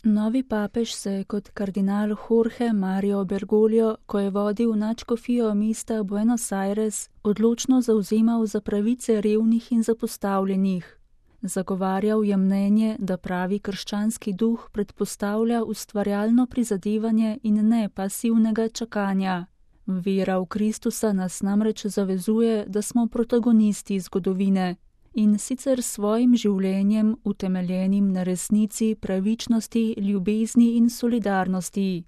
Novi papež se je kot kardinal Jorge Mario Bergoglio, ko je vodil nadškofijo mesta Buenos Aires, odločno zavzemal za pravice revnih in zapostavljenih. Zagovarjal je mnenje, da pravi krščanski duh predpostavlja ustvarjalno prizadevanje in ne pasivnega čakanja. Vera v Kristusa nas namreč zavezuje, da smo protagonisti zgodovine, in sicer s svojim življenjem, utemeljenim na resnici, pravičnosti, ljubezni in solidarnosti.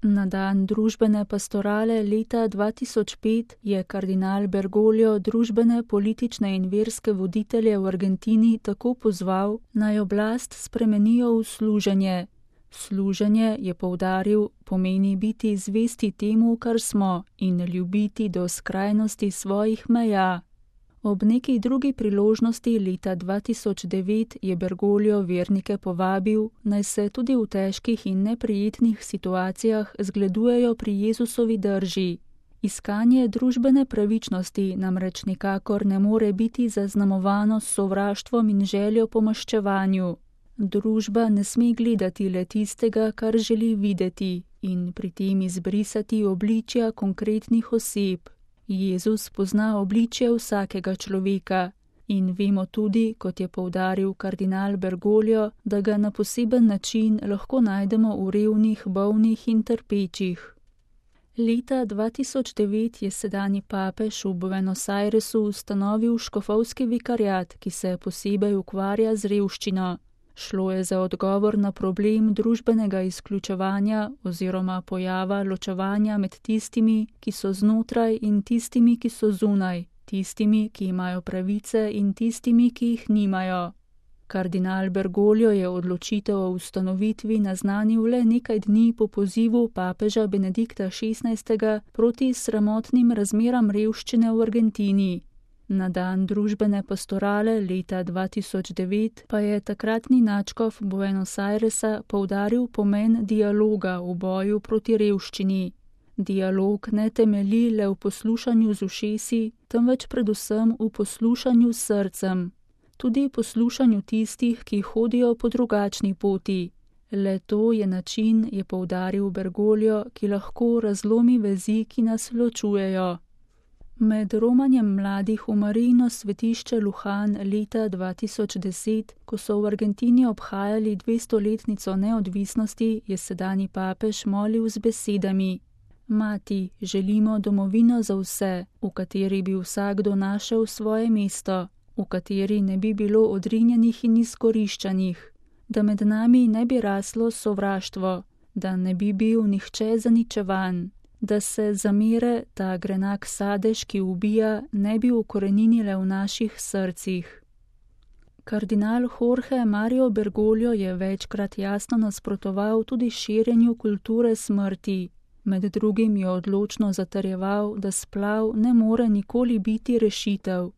Na dan družbene pastorale leta 2005 je kardinal Bergoglio družbene, politične in verske voditelje v Argentini tako pozval, naj oblast spremenijo v služenje. Služenje, je poudaril, pomeni biti zvesti temu, kar smo, in ljubiti do skrajnosti svojih meja. Ob neki drugi priložnosti leta 2009 je Bergoglio vernike povabil, naj se tudi v težkih in neprijetnih situacijah zgledujejo pri Jezusovi drži. Iskanje družbene pravičnosti namreč nikakor ne more biti zaznamovano s sovraštvom in željo po maščevanju. Družba ne sme gledati le tistega, kar želi videti, in pri tem izbrisati obličja konkretnih oseb. Jezus pozna obličje vsakega človeka in vemo tudi, kot je poudaril kardinal Bergoglio, da ga na poseben način lahko najdemo v revnih, bolnih in trpečih. Leta 2009 je sedanji papež v Buenos Airesu ustanovil škofovski vikariat, ki se posebej ukvarja z revščino. Šlo je za odgovor na problem družbenega izključevanja oziroma pojava ločevanja med tistimi, ki so znotraj in tistimi, ki so zunaj, tistimi, ki imajo pravice in tistimi, ki jih nimajo. Kardinal Bergoglio je odločitev o ustanovitvi naznanil le nekaj dni po pozivu papeža Benedikta XVI proti sramotnim razmeram revščine v Argentini. Na dan družbene pastorale leta 2009 pa je takratni nadškof Buenos Airesa poudaril pomen dialoga v boju proti revščini. Dialog ne temelji le v poslušanju z ušesi, temveč predvsem v poslušanju s srcem. Tudi poslušanju tistih, ki hodijo po drugačni poti. Le to je način, je poudaril Bergoglio, ki lahko razlomi vezi, ki nas ločujejo. Med romanjem mladih v Marijino svetišče Lujan leta 2010, ko so v Argentini obhajali 200-letnico neodvisnosti, je sedanji papež molil z besedami: Mati, želimo domovino za vse, v kateri bi vsakdo našel svoje mesto, v kateri ne bi bilo odrinjenih in izkoriščanih, da med nami ne bi raslo sovraštvo, da ne bi bil nihče zaničevan, da se zamere, ta grenak sadež, ki ubija, ne bi ukoreninile v naših srcih. Kardinal Jorge Mario Bergoglio je večkrat jasno nasprotoval tudi širjenju kulture smrti. Med drugim je odločno zatrjeval, da splav ne more nikoli biti rešitev.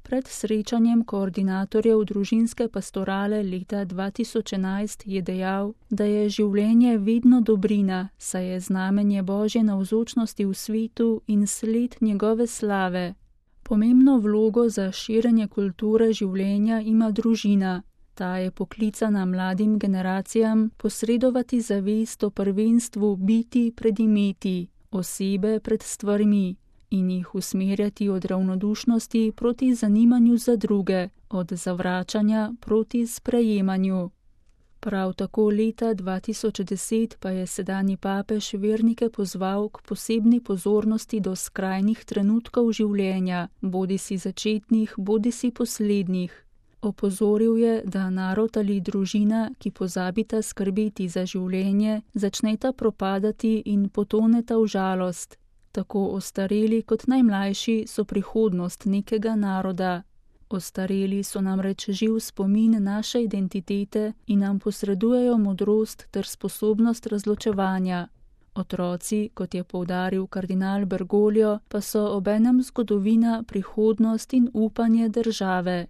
Pred srečanjem koordinatorjev družinske pastorale leta 2011 je dejal, da je življenje vedno dobrina, saj je znamenje Božje navzočnosti v svetu in sled njegove slave. Pomembno vlogo za širjenje kulture življenja ima družina. Ta je poklicana mladim generacijam posredovati zavest o prvenstvu biti pred imeti, osebe pred stvarmi, in jih usmerjati od ravnodušnosti proti zanimanju za druge, od zavračanja proti sprejemanju. Prav tako leta 2010 pa je sedanji papež vernike pozval k posebni pozornosti do skrajnih trenutkov življenja, bodisi začetnih, bodisi poslednjih. Opozoril je, da narod ali družina, ki pozabita skrbeti za življenje, začneta propadati in potoneta v žalost. Tako ostareli kot najmlajši so prihodnost nekega naroda. Ostareli so namreč živ spomin naše identitete in nam posredujejo modrost ter sposobnost razločevanja. Otroci, kot je poudaril kardinal Bergoglio, pa so obenem zgodovina, prihodnost in upanje države.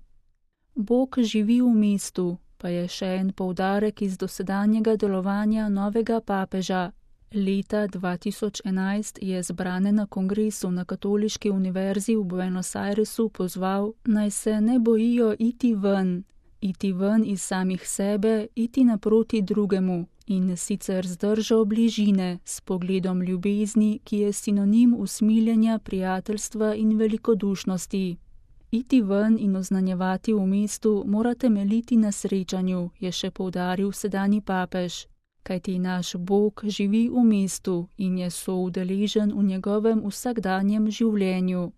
Bog živi v mestu, pa je še en poudarek iz dosedanjega delovanja novega papeža. Leta 2011 je zbrane na kongresu na Katoliški univerzi v Buenos Airesu pozval, naj se ne bojijo iti ven. iti ven iz samih sebe, iti naproti drugemu in sicer z držo bližine, s pogledom ljubezni, ki je sinonim usmiljenja, prijateljstva in velikodušnosti. Iti ven in oznanjevati v mestu mora temeljiti na srečanju, je še poudaril sedanji papež, kajti naš Bog živi v mestu in je soudeležen v njegovem vsakdanjem življenju.